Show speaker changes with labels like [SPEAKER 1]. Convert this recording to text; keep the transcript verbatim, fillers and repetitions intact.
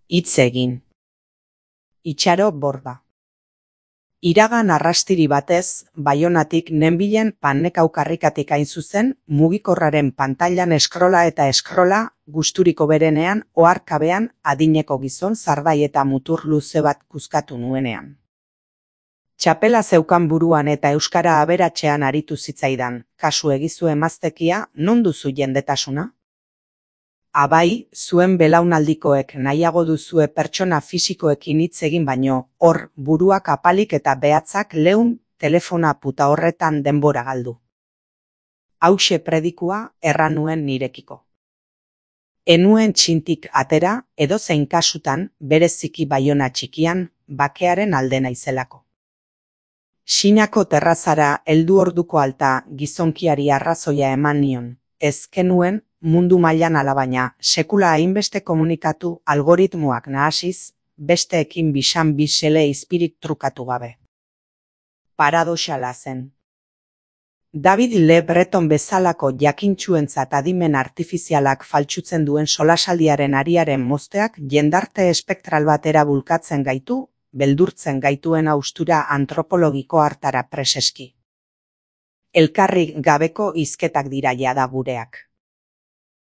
[SPEAKER 1] Hitz egin. Itxaro borda. Iragan arrastiri batez, Baionatik nenbilen Pannekaukarrikatik hain zuzen, mugikorraren pantailan eskrola eta eskrola, gusturiko berenean, oharkabean, adineko gizon zardai eta mutur luze bat kuzkatu nuenean. Txapela zeukan buruan eta euskara aberatsean aritu zitzaidan, kasu egizu emaztekia, non duzu jendetasuna? Abai, zuen belaunaldikoek nahiago duzue pertsona fisikoekin hitz egin baino, hor, buruak apalik eta behatzak leun telefona puta horretan denbora galdu. Hauxe predikua erran nuen nirekiko. Enuen txintik atera, edozein kasutan, bereziki Baiona txikian, bakearen alde naizelako. Sinako terrazara heldu orduko alta gizonkiari arrazoia eman nion, ez kenuen, mundu mailan alabaina, sekula hainbeste komunikatu algoritmoak nahasiz, besteekin bisan bisele izpirik trukatu gabe. Paradoxala zen. David Le Breton bezalako jakintsuentzat adimen artifizialak faltsutzen duen solasaldiaren ariaren mozteak jendarte espektral batera bulkatzen gaitu, beldurtzen gaituen haustura antropologiko hartara preseski. Elkarrik gabeko hizketak dira jada gureak.